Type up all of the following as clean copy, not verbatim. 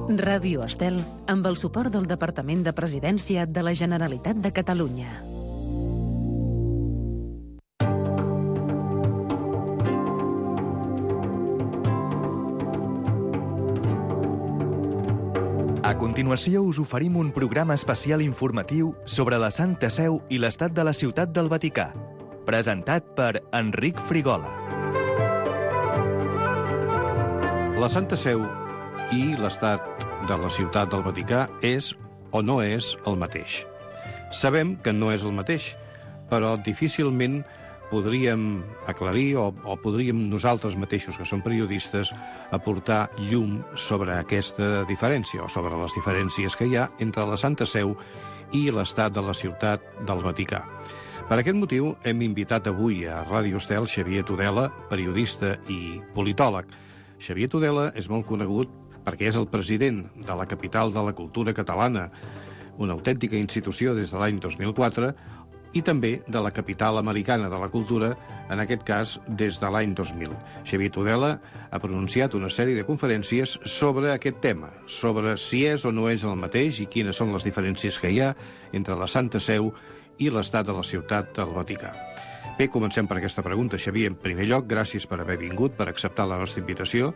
Ràdio Estel, amb el suport del Departament de Presidència de la Generalitat de Catalunya. A continuació us oferim un programa especial informatiu sobre la Santa Seu i l'estat de la Ciutat del Vaticà, presentat per Enric Frigola. La Santa Seu i l'estat de la Ciutat del Vaticà és o no és el mateix. Sabem que no és el mateix, però difícilment podríem aclarir o podríem nosaltres mateixos, que som periodistes, aportar llum sobre aquesta diferència o sobre les diferències que hi ha entre la Santa Seu i l'estat de la Ciutat del Vaticà. Per aquest motiu hem invitat avui a Ràdio Estel Xavier Tudela, periodista i politòleg. Xavier Tudela és molt conegut perquè és el president de la capital de la cultura catalana, una autèntica institució des de l'any 2004, i també de la capital americana de la cultura, en aquest cas des de l'any 2000. Xavier Tudela ha pronunciat una sèrie de conferències sobre aquest tema, sobre si és o no és el mateix i quines són les diferències que hi ha entre la Santa Seu i l'estat de la Ciutat del Vaticà. Bé, comencem per aquesta pregunta. Xavier, en primer lloc, gràcies per haver vingut, per acceptar la nostra invitació,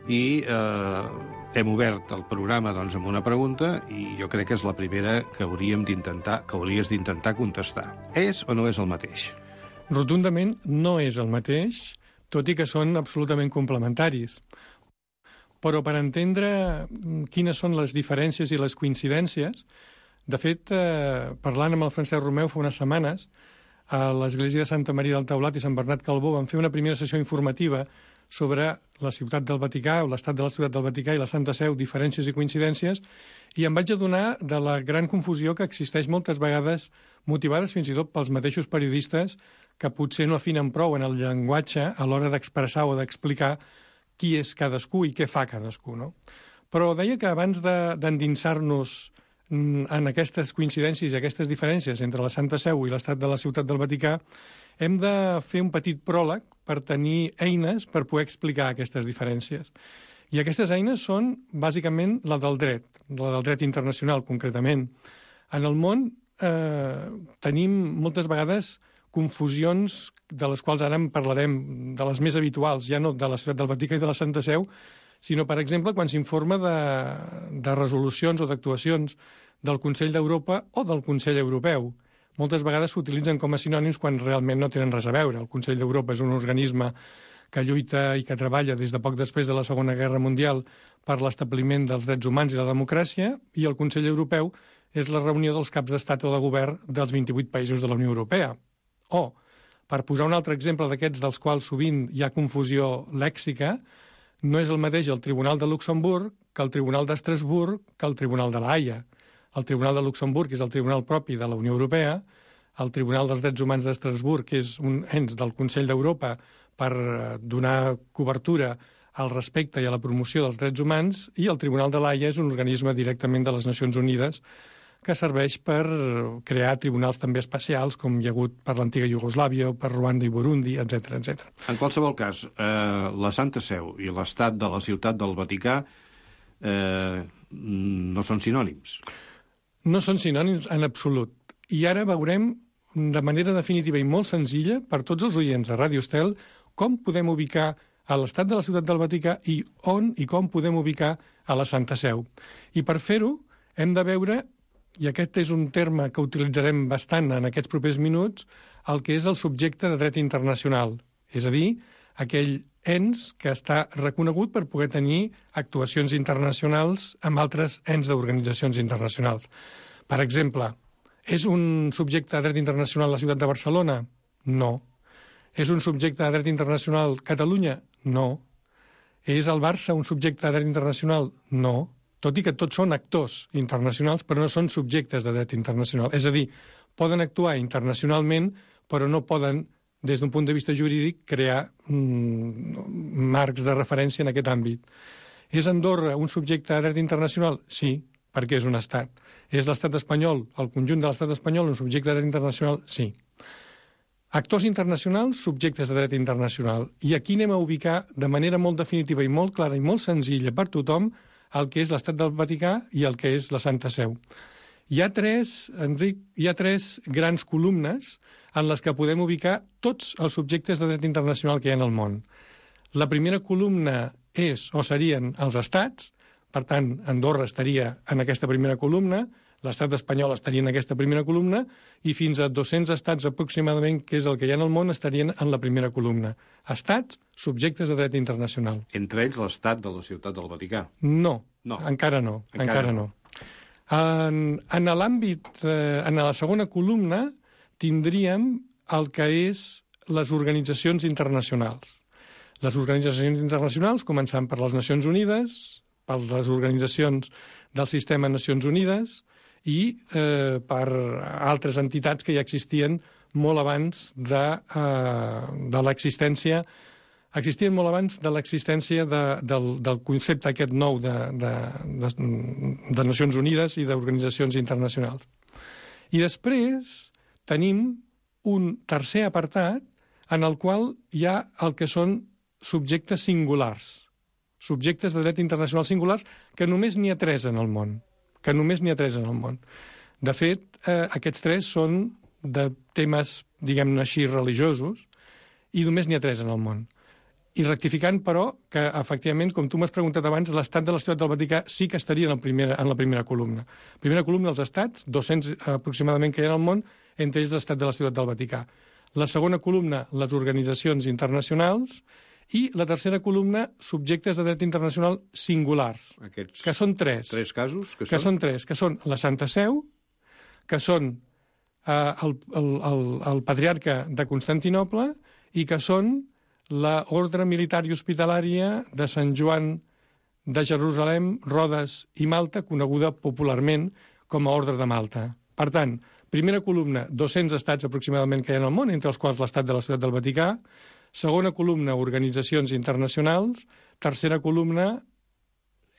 i hem obert el programa doncs, amb una pregunta i jo crec que és la primera que hauries d'intentar contestar. És o no és el mateix? Rotundament no és el mateix, tot i que són absolutament complementaris. Però per entendre quines són les diferències i les coincidències, de fet, parlant amb el Francesc Romeu fa unes setmanes, a l'Església de Santa Maria del Taulat i Sant Bernat Calbó van fer una primera sessió informativa sobre la Ciutat del Vaticà, o l'estat de la Ciutat del Vaticà i la Santa Seu, diferències i coincidències, i em vaig adonar de la gran confusió que existeix moltes vegades, motivades fins i tot pels mateixos periodistes que potser no afinen prou en el llenguatge a l'hora d'expressar o d'explicar qui és cadascú i què fa cadascú, no? Però deia que abans d'endinsar-nos en aquestes coincidències i aquestes diferències entre la Santa Seu i l'estat de la Ciutat del Vaticà, hem de fer un petit pròleg per tenir eines per poder explicar aquestes diferències. I aquestes eines són, bàsicament, la del dret internacional, concretament. En el món tenim moltes vegades confusions de les quals ara en parlarem, de les més habituals, ja no de la Ciutat del Vaticà i de la Santa Seu, sinó, per exemple, quan s'informa de resolucions o d'actuacions del Consell d'Europa o del Consell Europeu. Moltes vegades s'utilitzen com a sinònims quan realment no tenen res a veure. El Consell d'Europa és un organisme que lluita i que treballa des de poc després de la Segona Guerra Mundial per l'establiment dels drets humans i la democràcia, i el Consell Europeu és la reunió dels caps d'estat o de govern dels 28 països de la Unió Europea. O, per posar un altre exemple d'aquests dels quals sovint hi ha confusió lèxica, no és el mateix el Tribunal de Luxemburg que el Tribunal d'Estrasburg que el Tribunal de la Haia. El Tribunal de Luxemburg és el tribunal propi de la Unió Europea, el Tribunal dels Drets Humans d'Estrasburg és un ens del Consell d'Europa per donar cobertura al respecte i a la promoció dels drets humans, i el Tribunal de l'Haia és un organisme directament de les Nacions Unides que serveix per crear tribunals també especials, com hi ha hagut per l'antiga Iugoslàvia, per Ruanda i Burundi, etc. etc. En qualsevol cas, la Santa Seu i l'estat de la Ciutat del Vaticà no són sinònims. No són sinònims en absolut. I ara veurem de manera definitiva i molt senzilla per tots els oients de Ràdio Estel com podem ubicar a l'estat de la Ciutat del Vaticà i on i com podem ubicar a la Santa Seu. I per fer-ho hem de veure, i aquest és un terme que utilitzarem bastant en aquests propers minuts, el que és el subjecte de dret internacional, és a dir, aquell ens que està reconegut per poder tenir actuacions internacionals amb altres ens d'organitzacions internacionals. Per exemple, és un subjecte de dret internacional la ciutat de Barcelona? No. És un subjecte de dret internacional Catalunya? No. És el Barça un subjecte de dret internacional? No. Tot i que tots són actors internacionals, però no són subjectes de dret internacional. És a dir, poden actuar internacionalment, però no poden, des d'un punt de vista jurídic, crear marcs de referència en aquest àmbit. És Andorra un subjecte de dret internacional? Sí, perquè és un estat. És l'estat espanyol, el conjunt de l'estat espanyol, un subjecte de dret internacional? Sí. Actors internacionals, subjectes de dret internacional. I aquí anem a ubicar de manera molt definitiva i molt clara i molt senzilla per tothom el que és l'Estat del Vaticà i el que és la Santa Seu. Hi ha tres, Enric, grans columnes en les que podem ubicar tots els subjectes de dret internacional que hi ha en el món. La primera columna serien els estats, per tant, Andorra estaria en aquesta primera columna, l'estat espanyol estaria en aquesta primera columna i fins a 200 estats aproximadament, que és el que hi ha en el món, estarien en la primera columna. Estats, subjectes de dret internacional. Entre ells l'estat de la Ciutat del Vaticà. No. Encara no. En l'àmbit, en la segona columna, tindríem el que és les organitzacions internacionals. Les organitzacions internacionals, començant per les Nacions Unides, per les organitzacions del sistema Nacions Unides i per altres entitats que ja existien molt abans de l'existència del concepte aquest nou de Nacions Unides i d'organitzacions internacionals. I després tenim un tercer apartat en el qual hi ha el que són subjectes singulars, subjectes de dret internacional singulars, que només n'hi ha 3 en el món. De fet, aquests 3 són de temes, diguem-ne així, religiosos, i només n'hi ha 3 en el món. I rectificant, però, que, efectivament, com tu m'has preguntat abans, l'estat de la Ciutat del Vaticà sí que estaria en la primera columna. Primera columna, els estats, 200 aproximadament que hi ha al món, entre ells l'estat de la Ciutat del Vaticà. La segona columna, les organitzacions internacionals, i la tercera columna, subjectes de dret internacional singulars, que són 3. 3 casos? Que són 3, que són la Santa Seu, que són el patriarca de Constantinoble i que són l'Ordre Militar i Hospitalària de Sant Joan de Jerusalem, Rodes i Malta, coneguda popularment com a Ordre de Malta. Per tant, primera columna, 200 estats aproximadament que hi ha al món, entre els quals l'estat de la Ciutat del Vaticà. Segona columna, organitzacions internacionals. Tercera columna,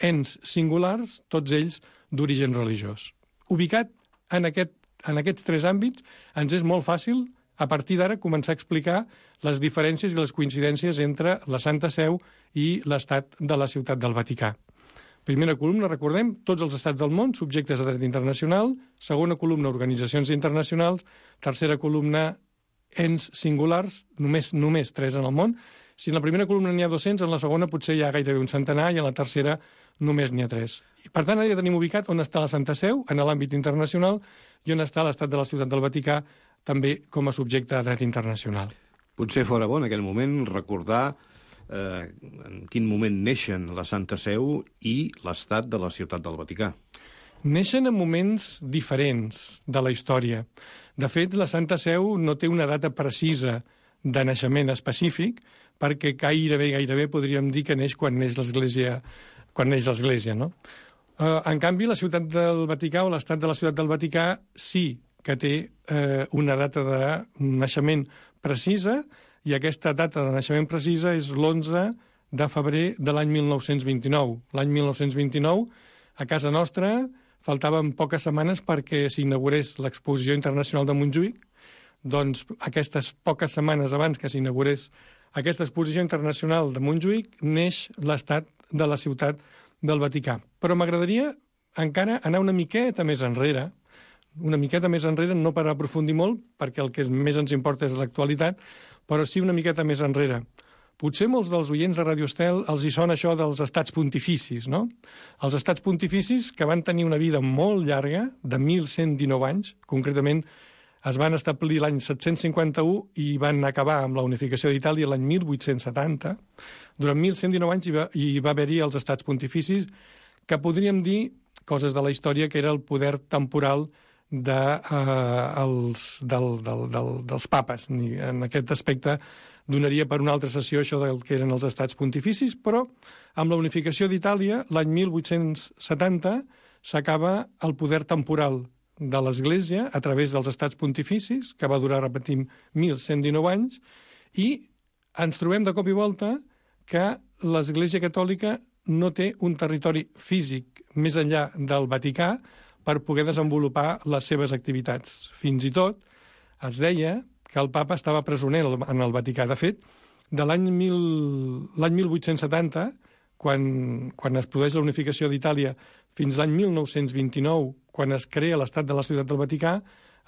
ens singulars, tots ells d'origen religiós. Ubicat en aquests 3 àmbits, ens és molt fàcil, a partir d'ara, començar a explicar les diferències i les coincidències entre la Santa Seu i l'estat de la Ciutat del Vaticà. Primera columna, recordem, tots els estats del món, subjectes de dret internacional. Segona columna, organitzacions internacionals. Tercera columna, ens singulars, només 3 en el món. Si en la primera columna n'hi ha 200, en la segona potser hi ha gairebé un centenar i en la tercera només n'hi ha 3. I, per tant, ara ja tenim ubicat on està la Santa Seu, en l'àmbit internacional, i on està l'estat de la Ciutat del Vaticà, també com a subjecte de dret internacional. Potser fora bo en aquell moment recordar en quin moment neixen la Santa Seu i l'estat de la Ciutat del Vaticà. Neixen en moments diferents de la història. De fet, la Santa Seu no té una data precisa de naixement específic, perquè gairebé podríem dir que neix quan neix l'Església, no? En canvi, la Ciutat del Vaticà o l'estat de la Ciutat del Vaticà sí que té una data de naixement precisa, i aquesta data de naixement precisa és l'11 de febrer de l'any 1929. L'any 1929, a casa nostra, faltaven poques setmanes perquè s'inaugurés l'Exposició Internacional de Montjuïc. Doncs aquestes poques setmanes abans que s'inaugurés aquesta Exposició Internacional de Montjuïc neix l'estat de la Ciutat del Vaticà. Però m'agradaria encara anar una miqueta més enrere, no per aprofundir molt, perquè el que més ens importa és l'actualitat, però sí una miqueta més enrere. Potser molts dels oients de Radio Estel els hi sona això dels estats pontificis, no? Els estats pontificis, que van tenir una vida molt llarga, de 1.119 anys, concretament es van establir l'any 751 i van acabar amb la unificació d'Itàlia l'any 1870. Durant 1.119 anys hi va haver-hi els estats pontificis, que podríem dir, coses de la història, que era el poder temporal dels papes. En aquest aspecte donaria per una altra sessió això del que eren els estats pontificis, però amb la unificació d'Itàlia, l'any 1870, s'acaba el poder temporal de l'Església a través dels estats pontificis, que va durar, repetim, 1.119 anys, i ens trobem de cop i volta que l'Església Catòlica no té un territori físic més enllà del Vaticà per poder desenvolupar les seves activitats. Fins i tot es deia que el papa estava presoner en el Vaticà. De fet, de l'any 1870, quan es produeix la unificació d'Itàlia, fins l'any 1929, quan es crea l'Estat de la Ciutat del Vaticà,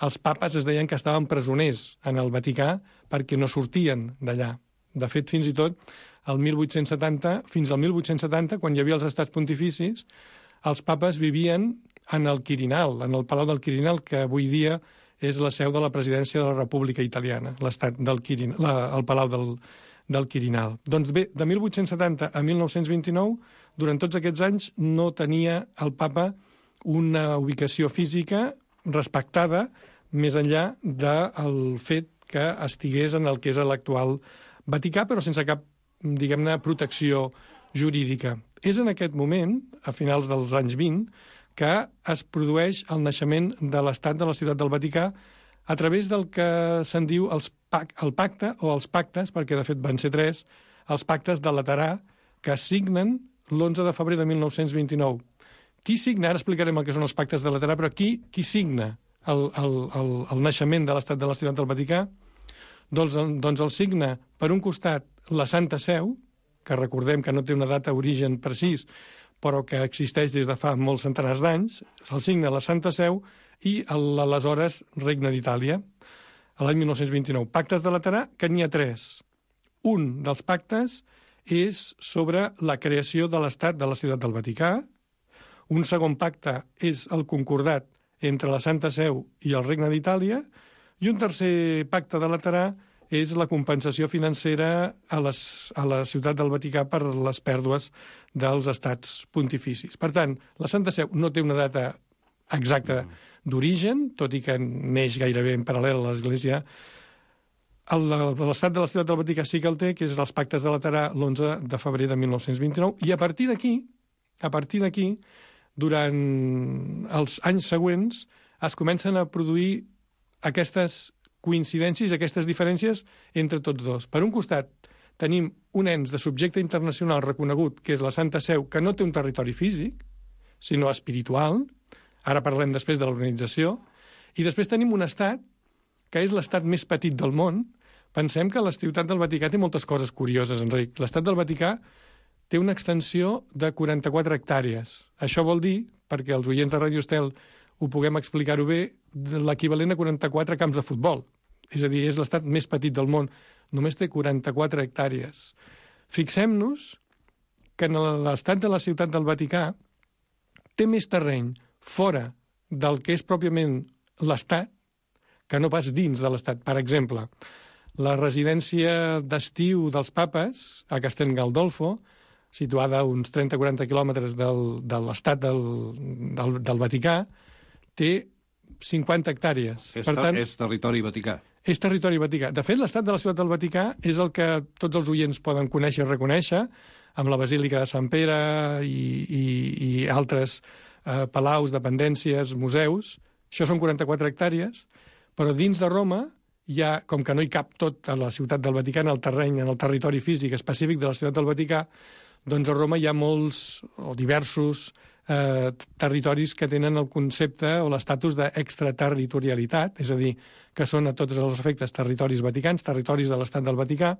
els papes es deien que estaven presoners en el Vaticà perquè no sortien d'allà. De fet, fins i tot, fins al 1870, quan hi havia els estats pontificis, els papes vivien en el Quirinal, en el Palau del Quirinal, que avui dia és la seu de la presidència de la República Italiana, l'estat del Quirinal, el Palau del Quirinal. Doncs bé, de 1870 a 1929, durant tots aquests anys, no tenia el papa una ubicació física respectada més enllà del fet que estigués en el que és l'actual Vaticà, però sense cap, diguem-ne, protecció jurídica. És en aquest moment, a finals dels anys 20, que es produeix el naixement de l'Estat de la Ciutat del Vaticà a través del que se'n diu el pacte o els pactes, perquè de fet van ser 3, els pactes de Laterà, que es signen l'11 de febrer de 1929. Qui signa? Ara explicarem el que són els pactes de Laterà, però qui signa el naixement de l'Estat de la Ciutat del Vaticà? Doncs el signa, per un costat, la Santa Seu, que recordem que no té una data d'origen precís, però que existeix des de fa molts centenars d'anys, se'l signa la Santa Seu i l'aleshores Regne d'Itàlia, a l'any 1929. Pactes de Laterà, que n'hi ha 3. Un dels pactes és sobre la creació de l'Estat de la Ciutat del Vaticà. Un segon pacte és el concordat entre la Santa Seu i el Regne d'Itàlia. I un tercer pacte de Laterà és la compensació financera a la Ciutat del Vaticà per les pèrdues dels estats pontificis. Per tant, la Santa Seu no té una data exacta d'origen, tot i que neix gairebé en paral·lel a l'Església. L'Estat de la Ciutat del Vaticà sí que el té, que és els pactes de Laterà l'11 de febrer de 1929, i a partir d'aquí, durant els anys següents, es comencen a produir aquestes coincidències, aquestes diferències entre tots dos. Per un costat, tenim un ens de subjecte internacional reconegut, que és la Santa Seu, que no té un territori físic, sinó espiritual. Ara parlem després de l'organització. I després tenim un estat, que és l'estat més petit del món. Pensem que la Ciutat del Vaticà té moltes coses curioses, Enric. L'estat del Vaticà té una extensió de 44 hectàrees. Això vol dir, perquè els oients de Radio Estel ho puguem explicar-ho bé, l'equivalent a 44 camps de futbol. És a dir, és l'estat més petit del món. Només té 44 hectàrees. Fixem-nos que en l'estat de la Ciutat del Vaticà té més terreny fora del que és pròpiament l'estat que no pas dins de l'estat. Per exemple, la residència d'estiu dels papes a Castel Gandolfo, situada a uns 30-40 quilòmetres de l'estat del Vaticà, té 50 hectàrees. És territori vaticà. És territori vaticà. De fet, l'estat de la Ciutat del Vaticà és el que tots els oients poden conèixer i reconèixer, amb la Basílica de Sant Pere i altres palaus, dependències, museus. Això són 44 hectàrees, però dins de Roma hi ha, com que no hi cap tot a la Ciutat del Vaticà, en el terreny, en el territori físic específic de la Ciutat del Vaticà, doncs a Roma hi ha molts o diversos territoris que tenen el concepte o l'estatus d'extraterritorialitat, és a dir, que són a tots els efectes territoris vaticans, territoris de l'estat del Vaticà,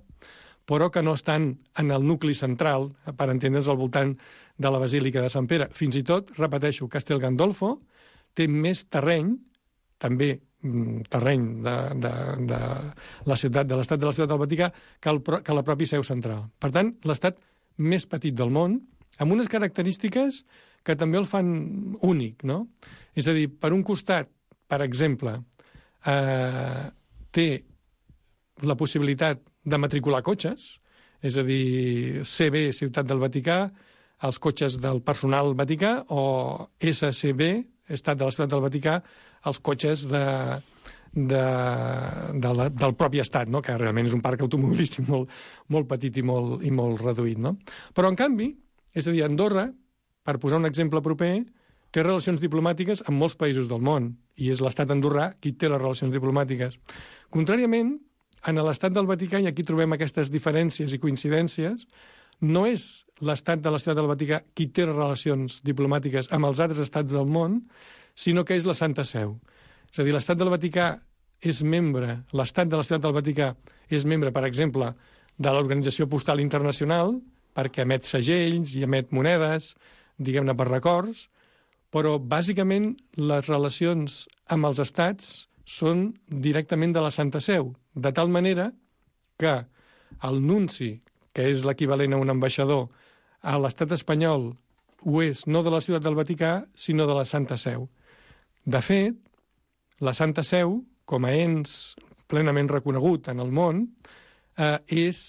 però que no estan en el nucli central, per entendre'ns, al voltant de la Basílica de Sant Pere. Fins i tot, repeteixo, Castel Gandolfo té més terreny, també terreny de l'estat de la Ciutat del Vaticà, que la pròpia seu central. Per tant, l'estat més petit del món, amb unes característiques que també el fan únic, no? És a dir, per un costat, per exemple, té la possibilitat de matricular cotxes, és a dir, CB, Ciutat del Vaticà, els cotxes del personal vaticà, o SCB, Estat de la Ciutat del Vaticà, els cotxes del propi estat, no? Que realment és un parc automobilístic molt petit i molt reduït, no? Però, en canvi, és a dir, Andorra, per posar un exemple proper, té relacions diplomàtiques amb molts països del món, i és l'estat andorrà qui té les relacions diplomàtiques. Contràriament, en l'estat del Vaticà, i aquí trobem aquestes diferències i coincidències, no és l'estat de la Ciutat del Vaticà qui té relacions diplomàtiques amb els altres estats del món, sinó que és la Santa Seu. És a dir, l'estat del Vaticà és membre, l'estat de la Ciutat del Vaticà és membre, per exemple, de l'Organització Postal Internacional, perquè emet segells i emet monedes, diguem-ne, per records, però bàsicament les relacions amb els estats són directament de la Santa Seu, de tal manera que el nunci, que és l'equivalent a un ambaixador, a l'estat espanyol ho és no de la Ciutat del Vaticà, sinó de la Santa Seu. De fet, la Santa Seu, com a ens plenament reconegut en el món, és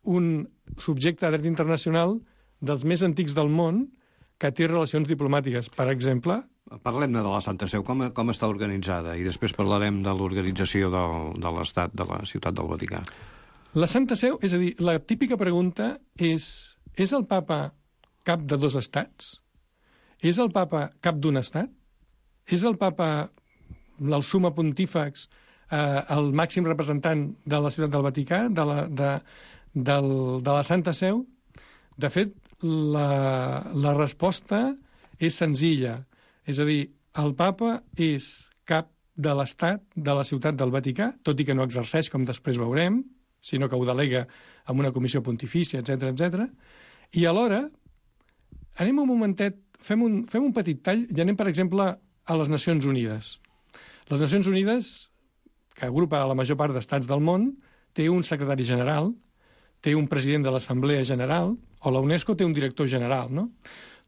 un subjecte de dret internacional dels més antics del món que té relacions diplomàtiques. Per exemple... Parlem-ne de la Santa Seu, com està organitzada, i després parlarem de l'organització de l'Estat de la Ciutat del Vaticà. La Santa Seu, és a dir, la típica pregunta és el papa cap de dos estats? És el papa cap d'un estat? És el papa, el summa pontífex, el màxim representant de la Ciutat del Vaticà, de la Santa Seu? De fet, la resposta és senzilla. És a dir, el papa és cap de l'Estat de la Ciutat del Vaticà, tot i que no exerceix, com després veurem, sinó que ho delega amb una comissió pontifícia, etc. I alhora, anem un momentet, fem un petit tall i anem, per exemple, a les Nacions Unides. Les Nacions Unides, que agrupa la major part d'estats del món, té un secretari general, té un president de l'Assemblea General, o la UNESCO té un director general, no?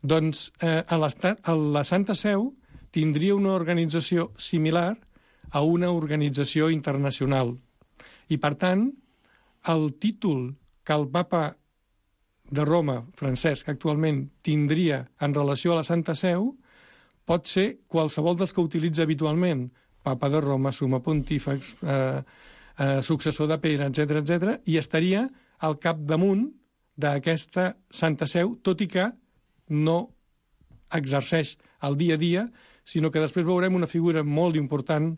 Doncs la Santa Seu tindria una organització similar a una organització internacional. I, per tant, el títol que el papa de Roma, Francesc, actualment tindria en relació a la Santa Seu pot ser qualsevol dels que utilitza habitualment. Papa de Roma, summa pontífex, successor de Pere, etc., i estaria al capdamunt d'aquesta Santa Seu, tot i que no exerceix el dia a dia, sinó que després veurem una figura molt important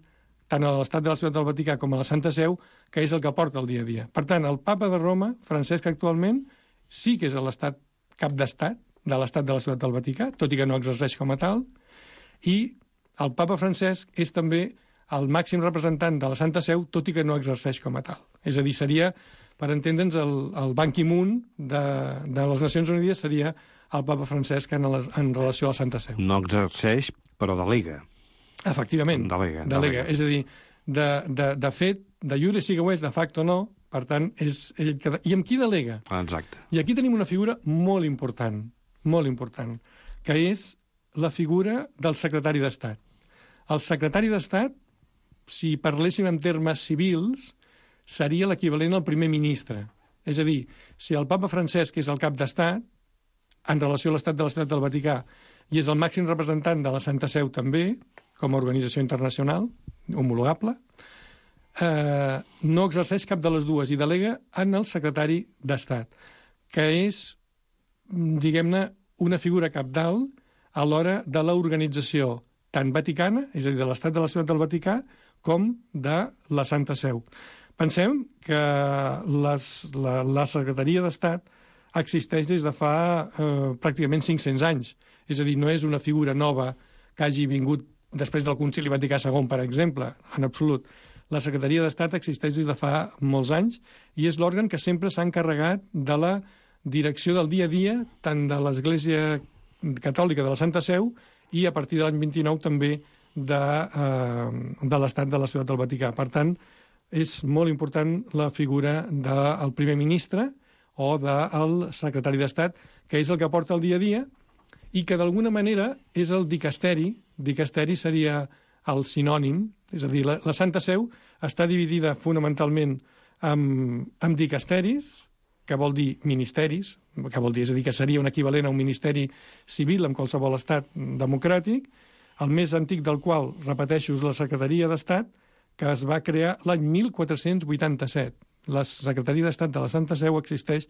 tant a l'Estat de la Ciutat del Vaticà com a la Santa Seu, que és el que porta el dia a dia. Per tant, el papa de Roma, Francesc, actualment, sí que és l'estat cap d'estat de l'Estat de la Ciutat del Vaticà, tot i que no exerceix com a tal, i el papa Francesc és també el màxim representant de la Santa Seu, tot i que no exerceix com a tal. És a dir, seria, per entendre'ns, el Ban Ki-moon de les Nacions Unides seria el papa Francesc en relació a la Santa Seu. No exerceix, però delega. Efectivament, delega. És a dir, de fet, de iure sigue ho és, de facto no, per tant, és ell que... I amb qui delega? Exacte. I aquí tenim una figura molt important, que és la figura del secretari d'Estat. El secretari d'Estat, si parléssim en termes civils, seria l'equivalent al primer ministre. És a dir, si el papa Francesc és el cap d'Estat, en relació a l'Estat de la Ciutat del Vaticà, i és el màxim representant de la Santa Seu també, com a organització internacional, homologable, no exerceix cap de les dues i delega en el secretari d'Estat, que és, diguem-ne, una figura cabdal a l'hora de l'organització tant vaticana, és a dir, de l'Estat de la Ciutat del Vaticà, com de la Santa Seu. Pensem que la Secretaria d'Estat existeix des de fa pràcticament 500 anys. És a dir, no és una figura nova que hagi vingut després del Concili Vaticà II, per exemple, en absolut. La Secretaria d'Estat existeix des de fa molts anys i és l'òrgan que sempre s'ha encarregat de la direcció del dia a dia, tant de l'Església Catòlica de la Santa Seu i a partir de l'any 29 també de l'Estat de la Ciutat del Vaticà. Per tant, és molt important la figura del primer ministre o del secretari d'Estat, que és el que porta el dia a dia i que d'alguna manera és el dicasteri. Dicasteri seria el sinònim, és a dir, la Santa Seu està dividida fonamentalment en dicasteris, que vol dir ministeris, que vol dir, és a dir, que seria un equivalent a un ministeri civil en qualsevol estat democràtic, el més antic del qual, repeteixo, és la Secretaria d'Estat, que es va crear l'any 1487. La Secretaria d'Estat de la Santa Seu existeix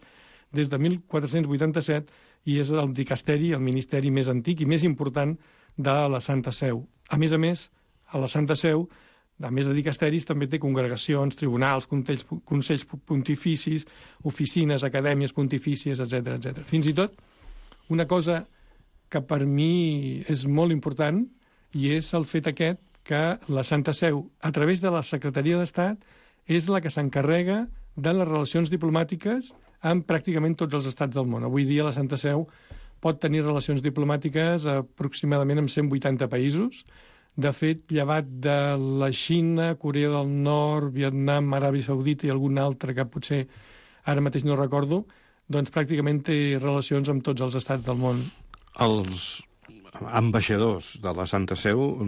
des de 1487 i és el dicasteri, el ministeri més antic i més important de la Santa Seu. A més, a la Santa Seu, a més de dicasteris, també té congregacions, tribunals, consells pontificis, oficines, acadèmies pontifícies, etc. Fins i tot, una cosa que per mi és molt important i és el fet aquest que la Santa Seu, a través de la Secretaria d'Estat, és la que s'encarrega de les relacions diplomàtiques amb pràcticament tots els estats del món. Avui dia la Santa Seu pot tenir relacions diplomàtiques aproximadament amb 180 països. De fet, llevat de la Xina, Corea del Nord, Vietnam, Aràbia Saudita i algun altre que potser ara mateix no recordo, doncs pràcticament té relacions amb tots els estats del món. Els ambaixadors de la Santa Seu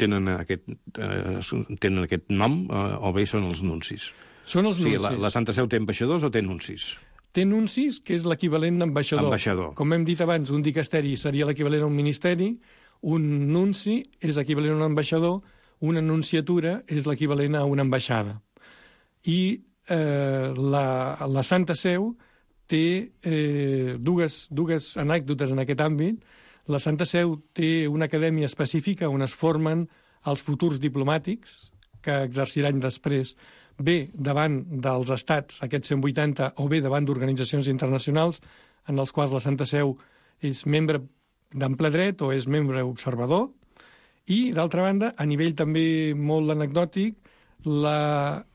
tenen aquest nom o bé són els nuncis? Són els nuncis. O sigui, la Santa Seu té ambaixadors o té nuncis? Té nuncis, que és l'equivalent d'ambaixador. Com hem dit abans, un dicasteri seria l'equivalent a un ministeri, un nunci és equivalent a un ambaixador, una nunciatura és l'equivalent a una ambaixada. I la Santa Seu té dues anècdotes en aquest àmbit. La Santa Seu té una acadèmia específica on es formen els futurs diplomàtics que exerciran després bé davant dels estats, aquests 180, o bé davant d'organitzacions internacionals en els quals la Santa Seu és membre d'ample dret o és membre observador. I, d'altra banda, a nivell també molt anecdòtic, la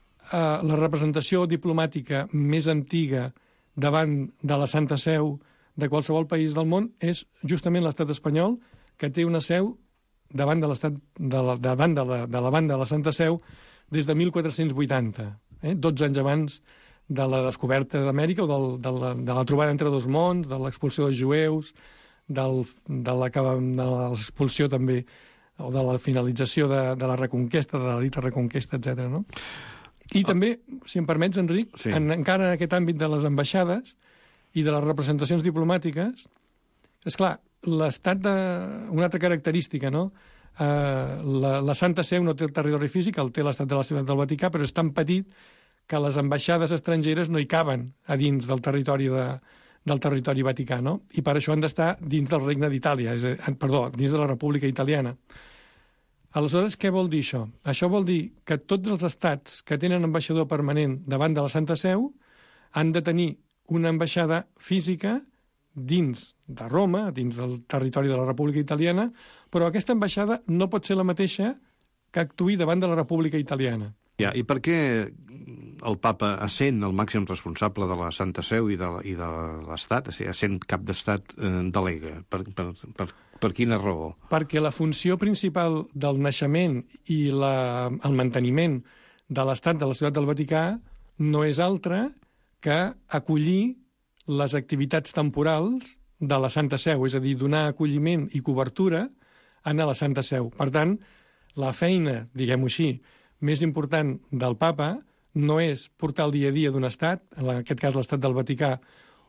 representació diplomàtica més antiga davant de la Santa Seu de qualsevol país del món és justament l'estat espanyol, que té una seu davant de la banda de la Santa Seu des de 1480, 12 anys abans de la descoberta d'Amèrica o de la trobada entre dos mons, de l'expulsió dels jueus, de l'expulsió també, o de la finalització de la reconquesta, de la dita reconquesta, etc. No? I també, si em permets, Enric, sí. Encara en aquest àmbit de les ambaixades i de les representacions diplomàtiques, esclar, l'estat una altra característica, no? La Santa Seu no té el territori físic, el té l'estat de la Ciutat del Vaticà, però és tan petit que les ambaixades estrangeres no hi caben a dins del territori vaticà, no? I per això han d'estar dins del Regne d'Itàlia, dins de la República Italiana. Aleshores, què vol dir això? Això vol dir que tots els estats que tenen ambaixador permanent davant de la Santa Seu han de tenir una ambaixada física dins de Roma, dins del territori de la República Italiana, però aquesta ambaixada no pot ser la mateixa que actuï davant de la República Italiana. Ja, i per què el papa, essent el màxim responsable de la Santa Seu i de l'Estat, essent cap d'Estat, delega? Per quina raó? Perquè la funció principal del naixement i el manteniment de l'Estat de la Ciutat del Vaticà no és altra que acollir les activitats temporals de la Santa Seu, és a dir, donar acolliment i cobertura a la Santa Seu. Per tant, la feina, diguem-ho així, més important del papa no és portar el dia a dia d'un estat, en aquest cas l'estat del Vaticà,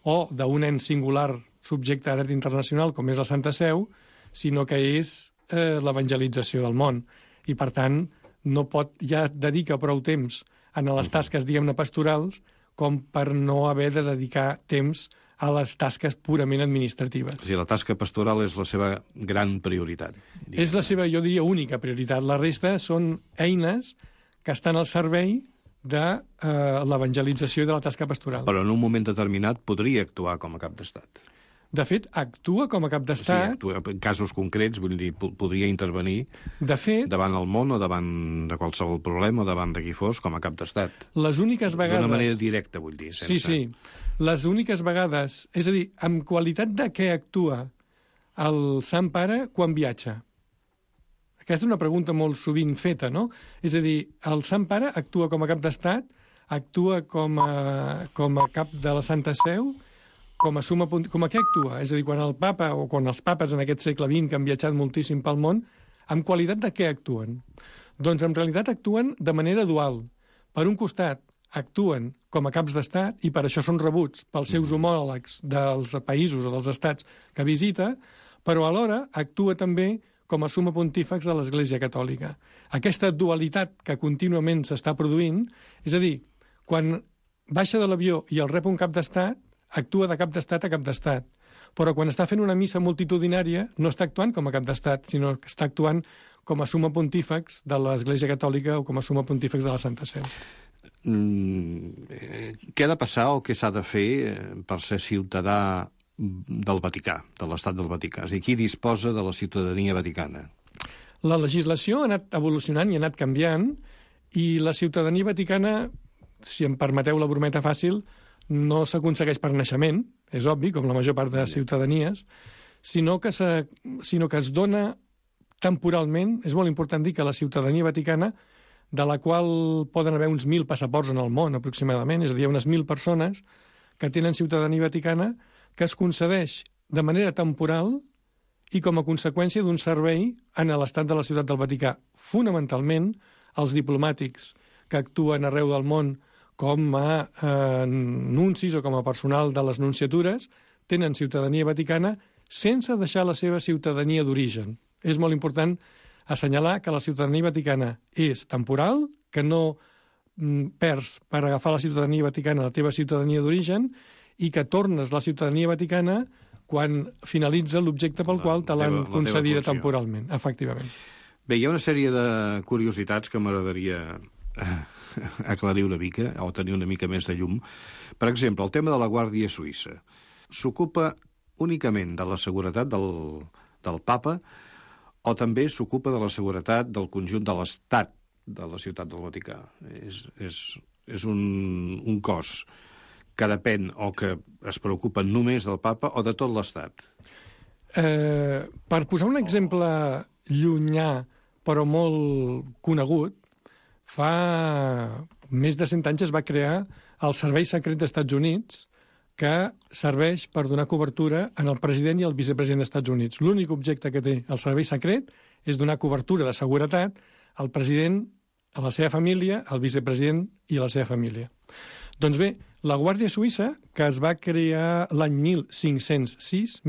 o d'un ens singular subjecte a dret internacional, com és la Santa Seu, sinó que és l'evangelització del món. I, per tant, no pot ja dedicar prou temps a les tasques, diguem-ne, pastorals, com per no haver de dedicar temps a les tasques purament administratives. O sigui, la tasca pastoral és la seva gran prioritat. És la seva, jo diria, única prioritat. La resta són eines que estan al servei de l'evangelització i de la tasca pastoral. Però en un moment determinat podria actuar com a cap d'Estat. De fet, actua com a cap d'Estat. Sí, actua en casos concrets, vull dir, podria intervenir de fet, davant el món o davant de qualsevol problema o davant de qui fos com a cap d'Estat. Les úniques vegades... D'una manera directa, vull dir. Sense... Sí. Les úniques vegades... És a dir, amb qualitat de què actua el Sant Pare quan viatja? Aquesta és una pregunta molt sovint feta, no? És a dir, el Sant Pare actua com a cap d'Estat, actua com a cap de la Santa Seu, com a què actua? És a dir, quan el papa o quan els papes en aquest segle XX que han viatjat moltíssim pel món, amb qualitat de què actuen? Doncs en realitat actuen de manera dual. Per un costat, actuen com a caps d'estat i per això són rebuts pels seus homòlegs dels països o dels estats que visita, però alhora actua també com a suma pontífex de l'Església Catòlica. Aquesta dualitat que contínuament s'està produint, és a dir, quan baixa de l'avió i el rep un cap d'estat, actua de cap d'estat a cap d'estat. Però quan està fent una missa multitudinària no està actuant com a cap d'estat, sinó que està actuant com a suma pontífex de l'Església Catòlica o com a suma pontífex de la Santa Seu. Què ha de passar o què s'ha de fer per ser ciutadà del Vaticà, de l'Estat del Vaticà? És a dir, qui disposa de la ciutadania vaticana? La legislació ha anat evolucionant i ha anat canviant i la ciutadania vaticana, si em permeteu la brometa fàcil, no s'aconsegueix per naixement, és obvi, com la major part de ciutadanies, sinó que es dona temporalment. És molt important dir que la ciutadania vaticana, de la qual poden haver uns 1.000 passaports en el món, aproximadament, és a dir, unes 1.000 persones que tenen ciutadania vaticana, que es concedeix de manera temporal i com a conseqüència d'un servei en l'estat de la Ciutat del Vaticà. Fonamentalment, els diplomàtics que actuen arreu del món com a nuncis o com a personal de les nunciatures tenen ciutadania vaticana sense deixar la seva ciutadania d'origen. És molt important assenyalar que la ciutadania vaticana és temporal, que no perds per agafar la ciutadania vaticana la teva ciutadania d'origen i que tornes la ciutadania vaticana quan finalitza l'objecte pel qual te l'han concedida temporalment, efectivament. Bé, hi ha una sèrie de curiositats que m'agradaria aclarir una mica, o tenir una mica més de llum. Per exemple, el tema de la Guàrdia Suïssa. S'ocupa únicament de la seguretat del papa o també s'ocupa de la seguretat del conjunt de l'estat de la Ciutat del Vaticà? És un cos que depèn o que es preocupa només del papa o de tot l'estat? Per posar un exemple llunyà però molt conegut, fa més de 100 anys es va crear el Servei Secret d'Estats Units, que serveix per donar cobertura en el president i el vicepresident d'Estats Units. L'únic objecte que té el Servei Secret és donar cobertura de seguretat al president, a la seva família, al vicepresident i a la seva família. Doncs bé, la Guàrdia Suïssa, que es va crear l'any 1506,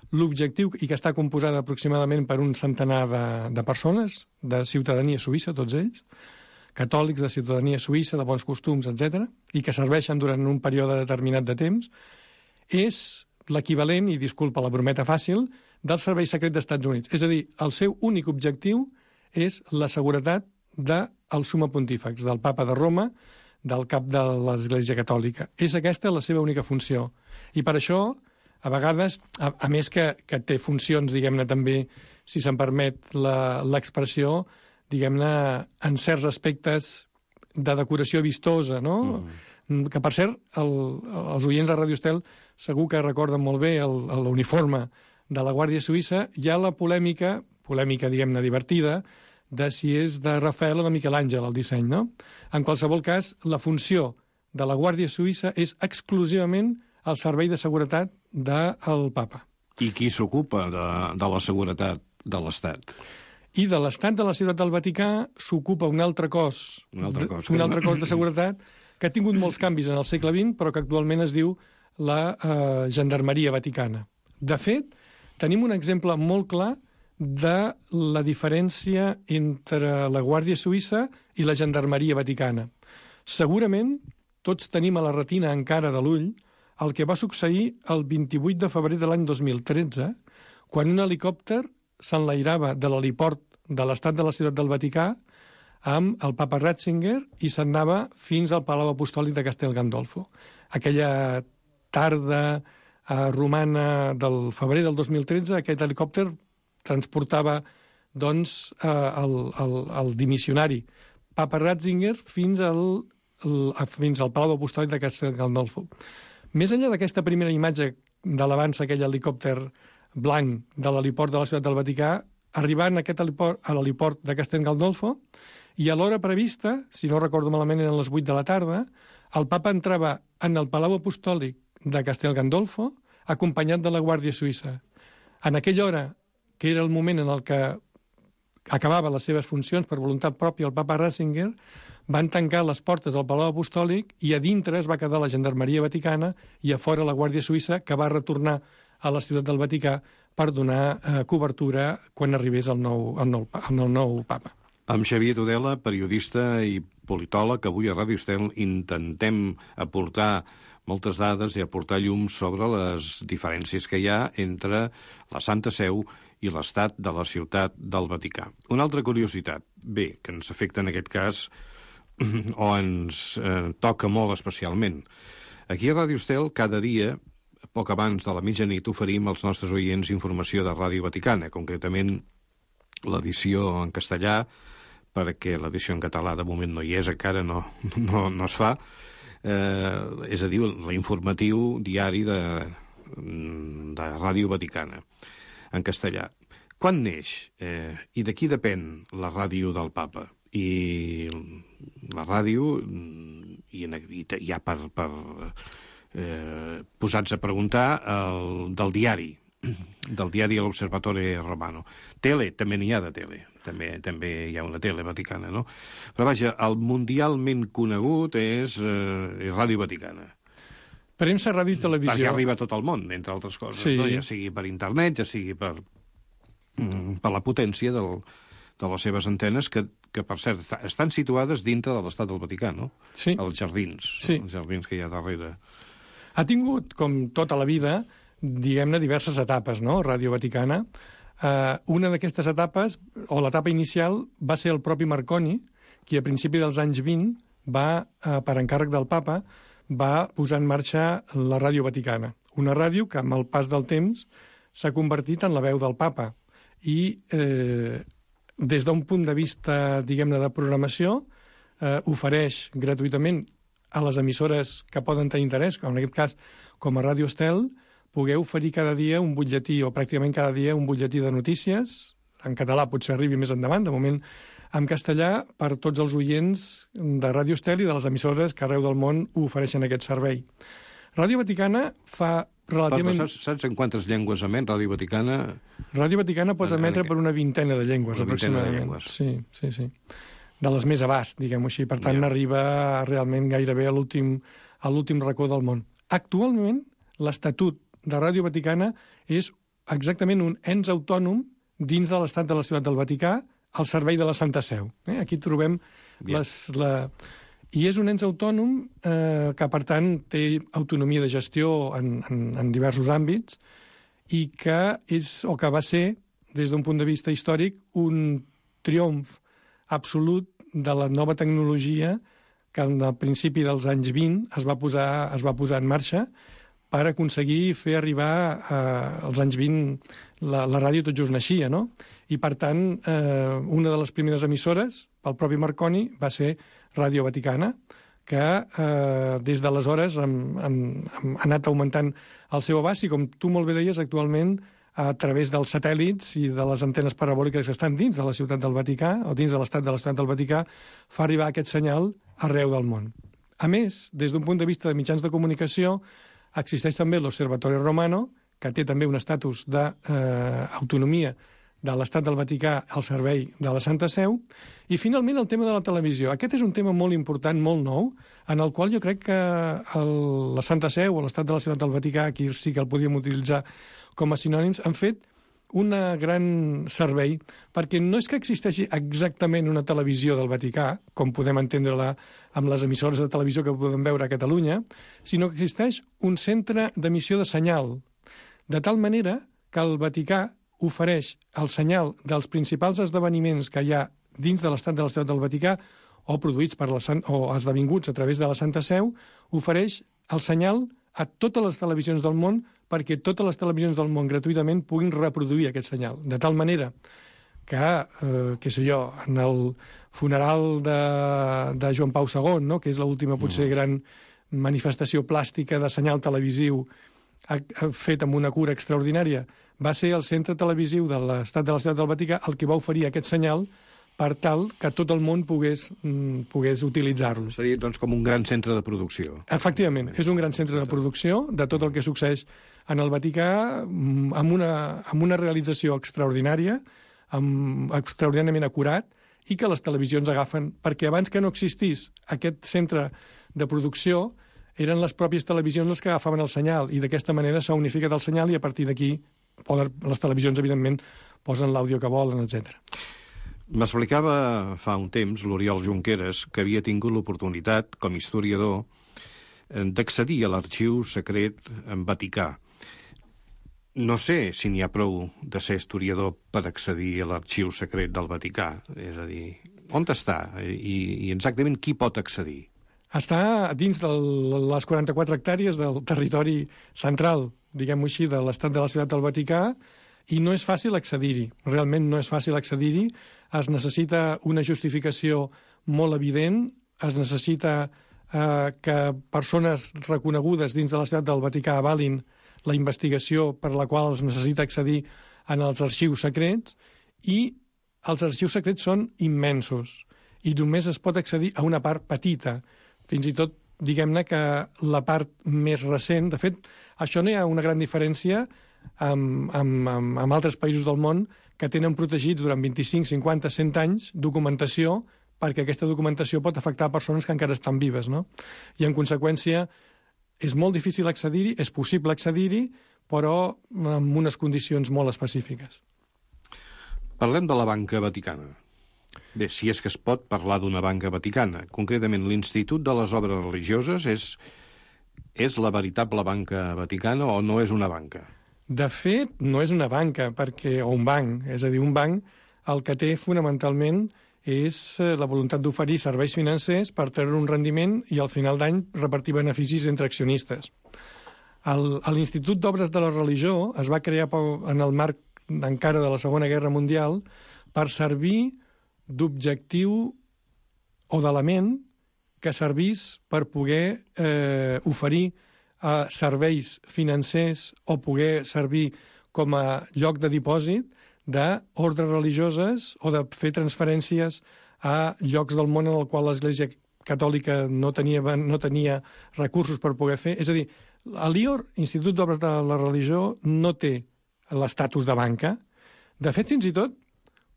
l'objectiu, i que està composada aproximadament per un centenar de persones, de ciutadania suïssa, tots ells, catòlics de ciutadania suïssa, de bons costums, etc., i que serveixen durant un període determinat de temps, és l'equivalent, i disculpa la brometa fàcil, del Servei Secret d'Estats Units. És a dir, el seu únic objectiu és la seguretat del Summa Pontífex, del papa de Roma, del cap de l'Església Catòlica. És aquesta la seva única funció. I per això, a vegades, a més que té funcions, diguem-ne, també, si se'n permet l'expressió, diguem-ne, en certs aspectes de decoració vistosa, no? Que, per cert, els oients de Radio Estel segur que recorden molt bé l'uniforme de la Guàrdia Suïssa. Hi ha la polèmica, diguem-ne, divertida, de si és de Rafael o de Miquel Àngel, el disseny, no? En qualsevol cas, la funció de la Guàrdia Suïssa és exclusivament el servei de seguretat del papa. I qui s'ocupa de la seguretat de l'Estat? I de l'Estat de la Ciutat del Vaticà s'ocupa un altre cos de seguretat que ha tingut molts canvis en el segle XX, però que actualment es diu la Gendarmeria Vaticana. De fet, tenim un exemple molt clar de la diferència entre la Guàrdia Suïssa i la Gendarmeria Vaticana. Segurament tots tenim a la retina encara de l'ull el que va succeir el 28 de febrer de l'any 2013, quan un helicòpter s'enlairava de l'heliport de l'Estat de la Ciutat del Vaticà amb el papa Ratzinger i s'anava fins al Palau Apostòlic de Castel Gandolfo. Aquella tarda romana del febrer del 2013, aquest helicòpter transportava, doncs, el dimissionari papa Ratzinger fins al Palau Apostòlic de Castel Gandolfo. Més enllà d'aquesta primera imatge de l'avanç aquell helicòpter blanc de l'heliport de la Ciutat del Vaticà, arribant a l'heliport de Castel Gandolfo, i a l'hora prevista, si no recordo malament eren les 8 de la tarda, el papa entrava en el Palau Apostòlic de Castel Gandolfo acompanyat de la Guàrdia Suïssa. En aquella hora, que era el moment en el que acabava les seves funcions per voluntat pròpia el papa Ratzinger, van tancar les portes del Palau Apostòlic i a dintre es va quedar la Gendarmeria Vaticana i a fora la Guàrdia Suïssa, que va retornar a la Ciutat del Vaticà per donar cobertura quan arribés el nou papa. Amb Xavier Tudela, periodista i politòleg, avui a Ràdio Estel intentem aportar moltes dades i aportar llum sobre les diferències que hi ha entre la Santa Seu i l'estat de la Ciutat del Vaticà. Una altra curiositat, bé, que ens afecta en aquest cas, o ens toca molt especialment. Aquí a Ràdio Estel, cada dia, poc abans de la mitjanit, oferim als nostres oients informació de Ràdio Vaticana, concretament l'edició en castellà, perquè l'edició en català de moment no hi és, encara no es fa, és a dir, l'informatiu diari de Ràdio Vaticana, en castellà. Quan neix i de qui depèn la ràdio del Papa? I la ràdio, i ja per posats a preguntar, del diari l'Osservatore Romano. Tele, també n'hi ha de tele. També hi ha una tele vaticana, no? Però vaja, el mundialment conegut és Ràdio Vaticana. Premsa, ràdio i televisió. Perquè arriba a tot el món, entre altres coses, sí. No? Ja sigui per internet, ja sigui per la potència de les seves antenes, que per cert, estan situades dintre de l'Estat del Vaticà, no? Sí. Els jardins, sí. Els jardins que hi ha darrere. Ha tingut, com tota la vida, diguem-ne, diverses etapes, no?, Ràdio Vaticana. Una d'aquestes etapes, o l'etapa inicial, va ser el propi Marconi, qui a principi dels anys 20 va, per encàrrec del Papa, va posar en marxa la Ràdio Vaticana. Una ràdio que, amb el pas del temps, s'ha convertit en la veu del Papa. I des d'un punt de vista, diguem-ne, de programació, ofereix gratuïtament a les emissores que poden tenir interès, com en aquest cas, com a Ràdio Estel, poder oferir cada dia un butlletí, o pràcticament cada dia un butlletí de notícies. En català potser arribi més endavant, de moment en castellà, per tots els oients de Ràdio Estel i de les emissores que arreu del món ofereixen aquest servei. Ràdio Vaticana fa relativament... Saps en quantes llengües emet Ràdio Vaticana? Ràdio Vaticana pot emetre per una vintena de llengües, aproximadament. Sí. De les més abast, diguem-ho així. Per tant, arriba realment gairebé a l'últim racó del món. Actualment, l'Estatut de Ràdio Vaticana és exactament un ens autònom dins de l'Estat de la Ciutat del Vaticà al servei de la Santa Seu. Aquí trobem I és un ens autònom que, per tant, té autonomia de gestió en diversos àmbits i que és, o que va ser, des d'un punt de vista històric, un triomf absolut de la nova tecnologia que al principi dels anys 20 es va posar en marxa per aconseguir fer arribar als anys 20 la ràdio tot just naixia, no? I, per tant, una de les primeres emissores, pel propi Marconi, va ser Ràdio Vaticana, que des d'aleshores ha anat augmentant el seu abast i, com tu molt bé deies, actualment, a través dels satèl·lits i de les antenes parabòliques que estan dins de la Ciutat del Vaticà, o dins de l'estat de la Ciutat del Vaticà, fa arribar aquest senyal arreu del món. A més, des d'un punt de vista de mitjans de comunicació, existeix també l'Osservatore Romano, que té també un estatus d'autonomia de l'Estat del Vaticà al servei de la Santa Seu, i finalment el tema de la televisió. Aquest és un tema molt important, molt nou, en el qual jo crec que la Santa Seu o l'Estat de la Ciutat del Vaticà, aquí sí que el podíem utilitzar com a sinònims, han fet un gran servei, perquè no és que existeixi exactament una televisió del Vaticà, com podem entendre-la amb les emissores de televisió que podem veure a Catalunya, sinó que existeix un centre d'emissió de senyal, de tal manera que el Vaticà ofereix el senyal dels principals esdeveniments que hi ha dins de l'estat de la Ciutat del Vaticà o produïts o esdevinguts a través de la Santa Seu, ofereix el senyal a totes les televisions del món perquè totes les televisions del món gratuïtament puguin reproduir aquest senyal. De tal manera que, què sé jo, en el funeral de Joan Pau II, no?, que és l'última potser gran manifestació plàstica de senyal televisiu fet amb una cura extraordinària, va ser el centre televisiu de l'Estat de la Ciutat del Vaticà el que va oferir aquest senyal per tal que tot el món pogués utilitzar-lo. Seria, doncs, com un gran centre de producció. Efectivament, és un gran centre de producció de tot el que succeeix en el Vaticà amb una realització extraordinària, extraordinàriament acurat, i que les televisions agafen, perquè abans que no existís aquest centre de producció eren les pròpies televisions les que agafaven el senyal, i d'aquesta manera s'ha unificat el senyal i a partir d'aquí les televisions, evidentment, posen l'àudio que volen, etc. M'explicava fa un temps l'Oriol Junqueras que havia tingut l'oportunitat, com a historiador, d'accedir a l'arxiu secret en Vaticà. No sé si n'hi ha prou de ser historiador per accedir a l'arxiu secret del Vaticà. És a dir, on està? I exactament qui pot accedir? Està dins de les 44 hectàrees del territori central, diguem-ho així, de l'estat de la Ciutat del Vaticà, i no és fàcil accedir-hi. Realment no és fàcil accedir-hi. Es necessita una justificació molt evident, es necessita que persones reconegudes dins de la ciutat del Vaticà avalin la investigació per la qual es necessita accedir en els arxius secrets, i els arxius secrets són immensos i només es pot accedir a una part petita. Fins i tot, diguem-ne que la part més recent... De fet, això no hi ha una gran diferència amb altres països del món que tenen protegits durant 25, 50, 100 anys documentació, perquè aquesta documentació pot afectar persones que encara estan vives, no? I, en conseqüència, és molt difícil accedir-hi, és possible accedir-hi, però amb unes condicions molt específiques. Parlem de la banca vaticana. Bé, si és que es pot parlar d'una banca vaticana. Concretament, l'Institut de les Obres Religioses és la veritable banca vaticana o no és una banca? De fet, no és una banca, o un banc. És a dir, un banc el que té fonamentalment és la voluntat d'oferir serveis financers per treure un rendiment i al final d'any repartir beneficis entre accionistes. L'Institut d'Obres de la Religió es va crear en el marc encara de la Segona Guerra Mundial per servir d'objectiu o d'element que servís per poder oferir serveis financers o poder servir com a lloc de dipòsit d'ordres religioses o de fer transferències a llocs del món en el qual l'Església Catòlica no tenia recursos per poder fer. És a dir, l'IOR, Institut d'Obres de la Religió, no té l'estatus de banca. De fet, fins i tot,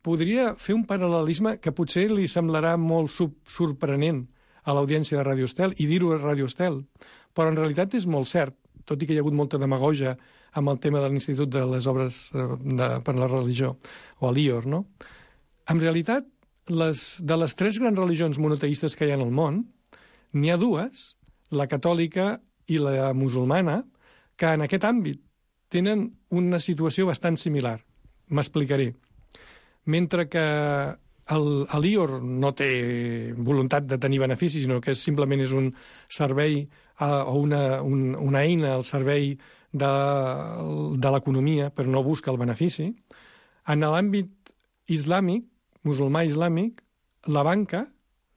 podria fer un paral·lelisme que potser li semblarà molt sorprenent a l'audiència de Radio Estel i dir-ho a Radio Estel, però en realitat és molt cert, tot i que hi ha hagut molta demagogia amb el tema de l'Institut de les Obres per la Religió, o a l'IOR, no? En realitat, de les 3 grans religions monoteistes que hi ha en el món, n'hi ha 2, la catòlica i la musulmana, que en aquest àmbit tenen una situació bastant similar. M'explicaré. Mentre que l'IOR no té voluntat de tenir beneficis, sinó que simplement és un servei o una eina al servei de l'economia, però no busca el benefici. En l'àmbit islàmic, musulmà islàmic, la banca,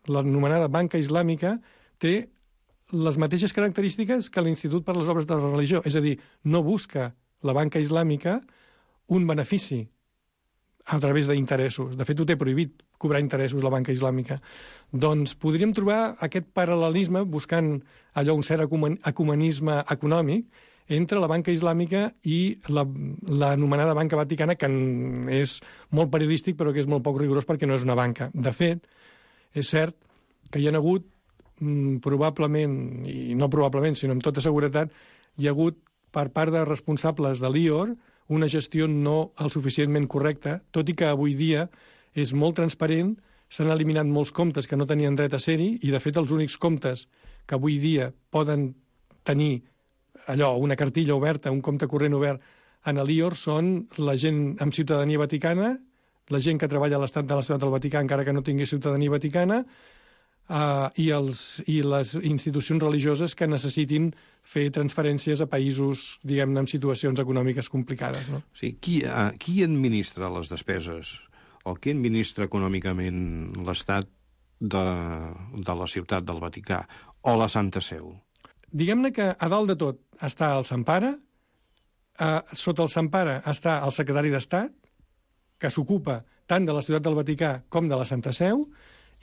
l'anomenada banca islàmica, té les mateixes característiques que l'Institut per les Obres de la Religió. És a dir, no busca la banca islàmica un benefici a través d'interessos. De fet, ho té prohibit cobrar interessos la banca islàmica. Doncs podríem trobar aquest paral·lelisme buscant allò, un cert ecumenisme econòmic entre la banca islàmica i l'anomenada banca vaticana, que és molt periodístic però que és molt poc rigorós perquè no és una banca. De fet, és cert que hi ha hagut probablement, i no probablement, sinó amb tota seguretat, hi ha hagut per part de responsables de l'IOR una gestió no el suficientment correcta, tot i que avui dia és molt transparent, s'han eliminat molts comptes que no tenien dret a ser-hi, i de fet els únics comptes que avui dia poden tenir allò, una cartilla oberta, un compte corrent obert en l'IOR són la gent amb ciutadania vaticana, la gent que treballa a l'estat de la ciutat del Vaticà encara que no tingui ciutadania vaticana, i les institucions religioses que necessitin fer transferències a països, diguem-ne, amb situacions econòmiques complicades. No? Sí, qui administra les despeses o qui administra econòmicament l'estat de la ciutat del Vaticà o la Santa Seu? Diguem-ne que a dalt de tot està el Sant Pare, sota el Sant Pare està el secretari d'Estat, que s'ocupa tant de la ciutat del Vaticà com de la Santa Seu,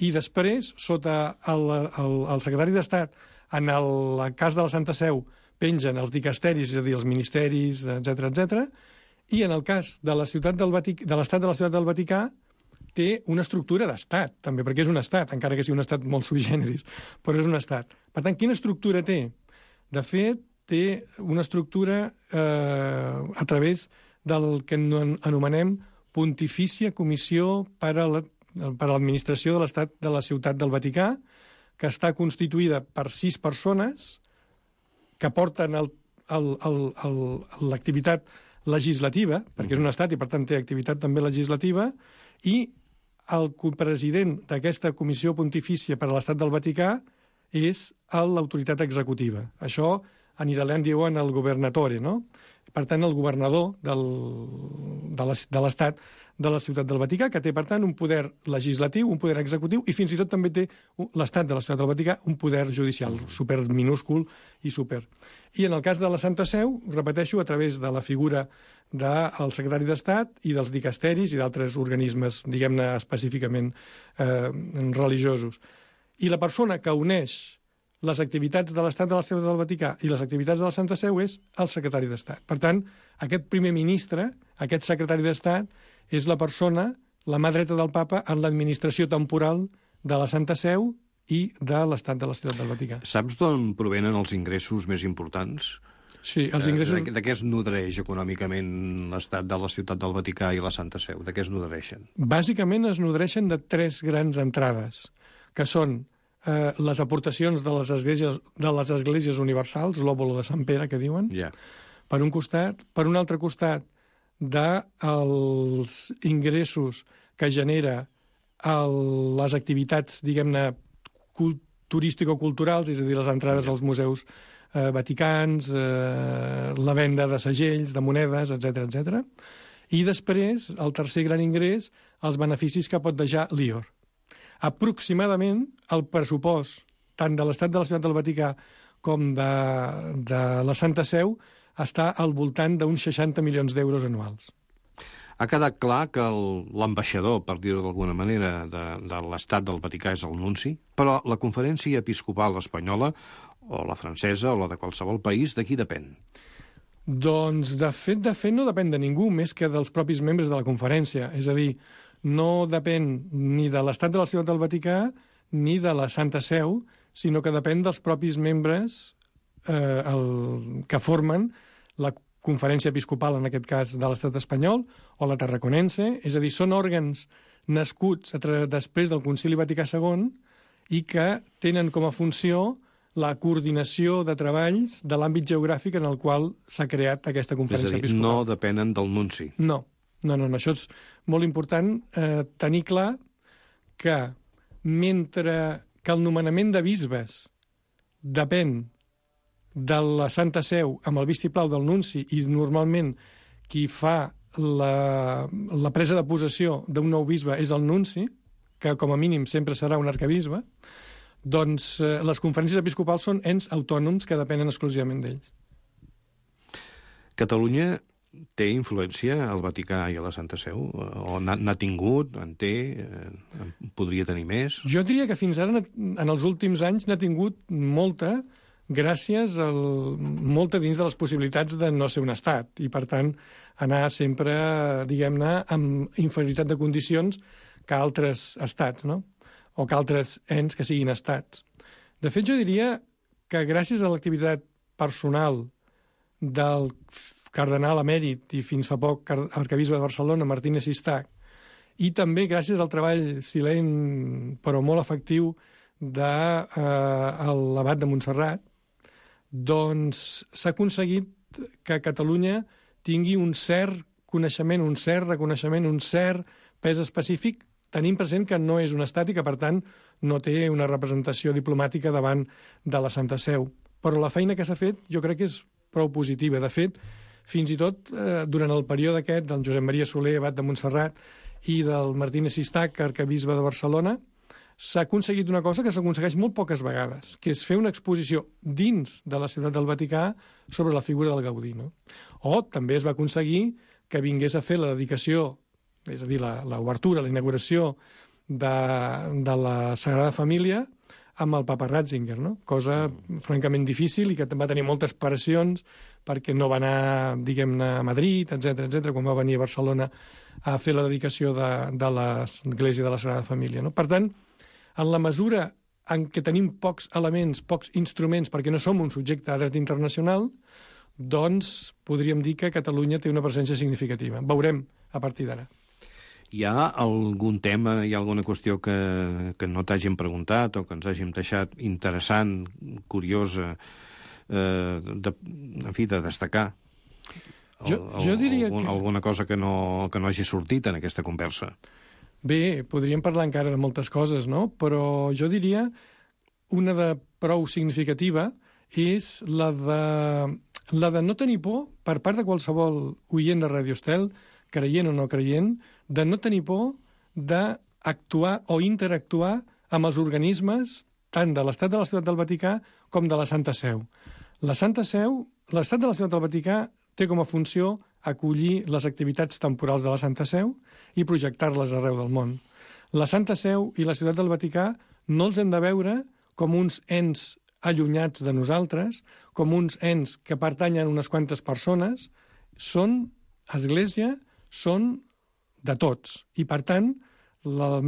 i després, sota el secretari d'Estat, en el cas de la Santa Seu, pengen els dicasteris, és a dir, els ministeris, etc., i en el cas de l'estat de la ciutat del Vaticà té una estructura d'estat, també, perquè és un estat, encara que sigui un estat molt sui generis, però és un estat. Per tant, quina estructura té? De fet, té una estructura a través del que anomenem Pontifícia Comissió per a l'Administració de l'Estat de la Ciutat del Vaticà, que està constituïda per 6 persones que porten l'activitat legislativa, perquè és un estat i per tant té activitat també legislativa, i el president d'aquesta Comissió Pontifícia per a l'Estat del Vaticà és l'autoritat executiva. Això en italià en diuen el governatore, no? Per tant, el governador de l'Estat de la Ciutat del Vaticà, que té, per tant, un poder legislatiu, un poder executiu, i fins i tot també té l'Estat de la Ciutat del Vaticà un poder judicial super minúscul i super. I en el cas de la Santa Seu, repeteixo, a través de la figura del secretari d'Estat i dels dicasteris i d'altres organismes, diguem-ne, específicament religiosos. I la persona que uneix les activitats de l'Estat de la Ciutat del Vaticà i les activitats de la Santa Seu és el secretari d'Estat. Per tant, aquest primer ministre, aquest secretari d'Estat, és la persona, la mà dreta del papa, en l'administració temporal de la Santa Seu i de l'Estat de la Ciutat del Vaticà. Saps d'on provenen els ingressos més importants? Sí, els ingressos... De què es nodreix econòmicament l'Estat de la Ciutat del Vaticà i la Santa Seu? De què es nodreixen? Bàsicament es nodreixen de 3 grans entrades, que són les aportacions de les esglésies universals, l'òbolo de Sant Pere, que diuen, per un costat. Per un altre costat, dels ingressos que genera les activitats, diguem-ne, turístico-culturals, és a dir, les entrades als museus vaticans, la venda de segells, de monedes, etc. I després, el tercer gran ingrés, els beneficis que pot deixar l'IOR. Aproximadament, el pressupost tant de l'Estat de la Ciutat del Vaticà com de la Santa Seu està al voltant d'uns 60 milions d'euros anuals. Ha quedat clar que l'ambaixador, per dir-ho d'alguna manera, de l'Estat del Vaticà és el nunci, però la Conferència Episcopal Espanyola, o la francesa, o la de qualsevol país, de qui depèn? Doncs, de fet, no depèn de ningú, més que dels propis membres de la conferència. És a dir, no depèn ni de l'Estat de la Ciutat del Vaticà ni de la Santa Seu, sinó que depèn dels propis membres que formen la Conferència Episcopal, en aquest cas, de l'Estat espanyol, o la tarraconense, és a dir, són òrgans nascuts després del Concili Vaticà II i que tenen com a funció la coordinació de treballs de l'àmbit geogràfic en el qual s'ha creat aquesta Conferència Episcopal. És a dir, no depenen del nunci. No, això és molt important tenir clar que mentre que el nomenament de bisbes depèn de la Santa Seu amb el vistiplau del nunci i normalment qui fa la presa de possessió d'un nou bisbe és el nunci, que com a mínim sempre serà un arcabisbe, doncs les conferències episcopals són ens autònoms que depenen exclusivament d'ells. Catalunya té influència al Vaticà i a la Santa Seu? O n'ha tingut, en té, podria tenir més? Jo diria que fins ara, en els últims anys, n'ha tingut molta, gràcies molta dins de les possibilitats de no ser un estat, i per tant anar sempre, diguem-ne, amb inferioritat de condicions que altres estats, no? O que altres ens que siguin estats. De fet, jo diria que gràcies a l'activitat personal del cardenal emèrit i fins fa poc arcabisbe de Barcelona, Martínez Sistac, i també gràcies al treball silent però molt efectiu de l'abat de Montserrat, doncs s'ha aconseguit que Catalunya tingui un cert coneixement, un cert reconeixement, un cert pes específic, tenint present que no és un estat i que, per tant, no té una representació diplomàtica davant de la Santa Seu. Però la feina que s'ha fet jo crec que és prou positiva. De fet, fins i tot durant el període aquest del Josep Maria Soler, abat de Montserrat, i del Martínez Sistac, arcabisbe de Barcelona, s'ha aconseguit una cosa que s'aconsegueix molt poques vegades, que és fer una exposició dins de la Ciutat del Vaticà sobre la figura del Gaudí. No? O també es va aconseguir que vingués a fer la dedicació, és a dir, l'obertura, la inauguració de la Sagrada Família amb el papa Ratzinger, no? Cosa francament difícil i que va tenir moltes pressions perquè no va anar, diguem-ne, a Madrid, etc quan va venir a Barcelona a fer la dedicació de l'Església de la Sagrada Família. No? Per tant, en la mesura en què tenim pocs elements, pocs instruments, perquè no som un subjecte de dret internacional, doncs podríem dir que Catalunya té una presència significativa. Veurem a partir d'ara. Hi ha algun tema, hi ha alguna qüestió que no t'hàgim preguntat o que ens hàgim deixat interessant, curiosa, en fi, de destacar? Jo diria que... Alguna cosa que no hagi sortit en aquesta conversa? Bé, podríem parlar encara de moltes coses, no? Però jo diria una de prou significativa és la de no tenir por per part de qualsevol oient de Radio Estel creient o no creient, de no tenir por d'actuar o interactuar amb els organismes tant de l'Estat de la Ciutat del Vaticà com de la Santa Seu. La Santa Seu, l'Estat de la Ciutat del Vaticà té com a funció acollir les activitats temporals de la Santa Seu i projectar-les arreu del món. La Santa Seu i la Ciutat del Vaticà no els hem de veure com uns ens allunyats de nosaltres, com uns ens que pertanyen a unes quantes persones. Són església, són de tots. I, per tant, la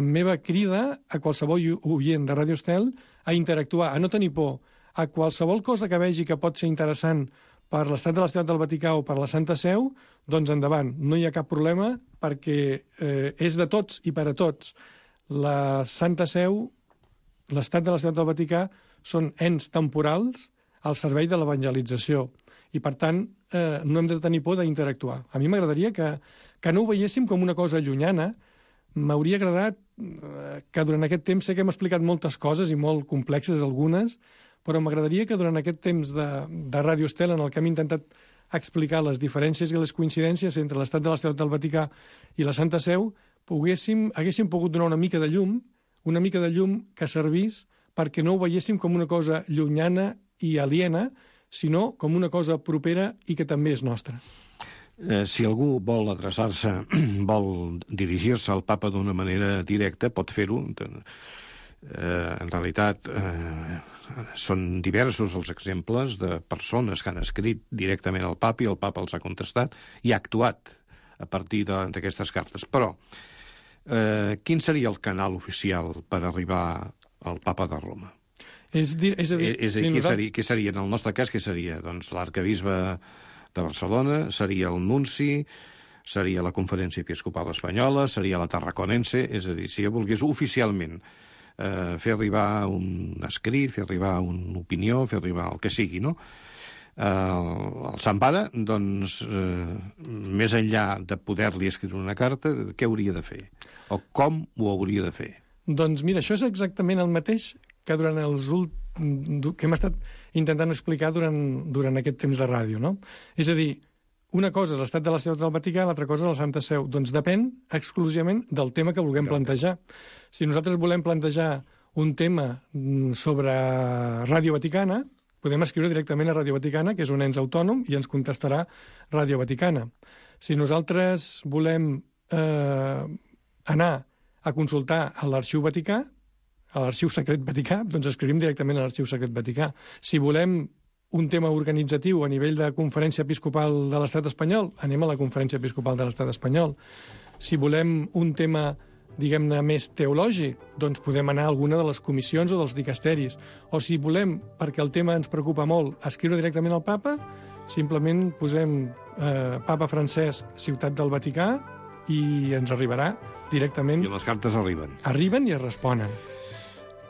meva crida a qualsevol oient de Ràdio Estel a interactuar, a no tenir por, a qualsevol cosa que vegi que pot ser interessant per l'Estat de la Ciutat del Vaticà o per la Santa Seu, doncs endavant, no hi ha cap problema perquè és de tots i per a tots. La Santa Seu, l'Estat de la Ciutat del Vaticà són ens temporals al servei de l'evangelització i, per tant, no hem de tenir por d'interactuar. A mi m'agradaria que no ho veiéssim com una cosa llunyana. M'hauria agradat que durant aquest temps, sé que hem explicat moltes coses i molt complexes algunes, però m'agradaria que durant aquest temps de Ràdio Estel, en el que hem intentat explicar les diferències i les coincidències entre l'Estat de la Ciutat del Vaticà i la Santa Seu, haguéssim pogut donar una mica de llum que servís perquè no ho veiéssim com una cosa llunyana i aliena, sinó com una cosa propera i que també és nostra. Si algú vol adreçar-se, vol dirigir-se al papa d'una manera directa, pot fer-ho. En realitat, són diversos els exemples de persones que han escrit directament al papa i el papa els ha contestat i ha actuat a partir d'aquestes cartes. Però, quin seria el canal oficial per arribar al papa de Roma? Què seria? En el nostre cas, què seria? Doncs l'arcabisbe de Barcelona, seria el nunci, seria la Conferència Episcopal Espanyola, seria la Tarraconense, és a dir, si volgués oficialment fer arribar un escrit, fer arribar una opinió, fer arribar el que sigui, no? El Sant Pare, doncs, més enllà de poder-li escriure una carta, què hauria de fer? O com ho hauria de fer? Doncs mira, això és exactament el mateix que durant que hem estat intentant explicar durant aquest temps de ràdio, no? És a dir, una cosa és l'Estat de la Ciutat del Vaticà, l'altra cosa és la Santa Seu. Doncs depèn exclusivament del tema que vulguem plantejar. Si nosaltres volem plantejar un tema sobre Ràdio Vaticana, podem escriure directament a Ràdio Vaticana, que és un ens autònom, i ens contestarà Ràdio Vaticana. Si nosaltres volem anar a consultar a l'Arxiu Vaticà, a l'Arxiu Secret Vaticà, doncs escrivim directament a l'Arxiu Secret Vaticà. Si volem un tema organitzatiu a nivell de Conferència Episcopal de l'Estat espanyol, anem a la Conferència Episcopal de l'Estat espanyol. Si volem un tema, diguem-ne, més teològic, doncs podem anar a alguna de les comissions o dels dicasteris. O si volem, perquè el tema ens preocupa molt, escriure directament al papa, simplement posem Papa Francesc, Ciutat del Vaticà, i ens arribarà directament. I les cartes arriben. Arriben i es responen.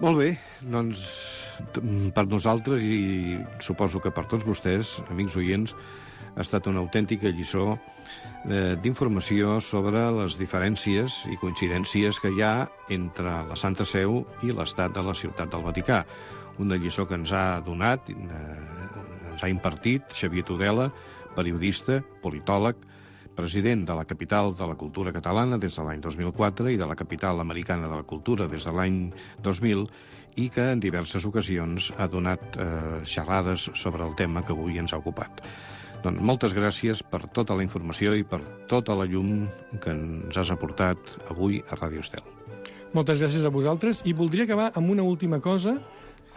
Molt bé, doncs per nosaltres i suposo que per tots vostès, amics oients, ha estat una autèntica lliçó d'informació sobre les diferències i coincidències que hi ha entre la Santa Seu i l'Estat de la Ciutat del Vaticà. Una lliçó que ens ha donat, ens ha impartit Xavier Tudela, periodista, politòleg, president de la Capital de la Cultura Catalana des de l'any 2004 i de la Capital Americana de la Cultura des de l'any 2000 i que en diverses ocasions ha donat xerrades sobre el tema que avui ens ha ocupat. Doncs moltes gràcies per tota la informació i per tota la llum que ens has aportat avui a Ràdio Estel. Moltes gràcies a vosaltres i voldria acabar amb una última cosa.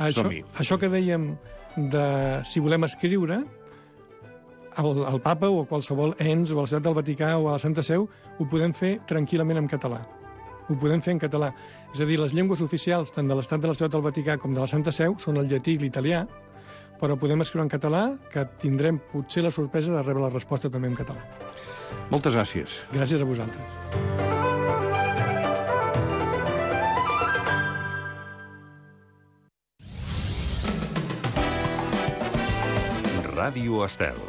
Això que dèiem de si volem escriure, el papa o qualsevol ens o a la Ciutat del Vaticà o a la Santa Seu ho podem fer tranquil·lament en català. Ho podem fer en català. És a dir, les llengües oficials tant de l'Estat de la Ciutat del Vaticà com de la Santa Seu són el llatí i l'italià, però podem escriure en català, que tindrem potser la sorpresa de rebre la resposta també en català. Moltes gràcies. Gràcies a vosaltres. Ràdio Estel.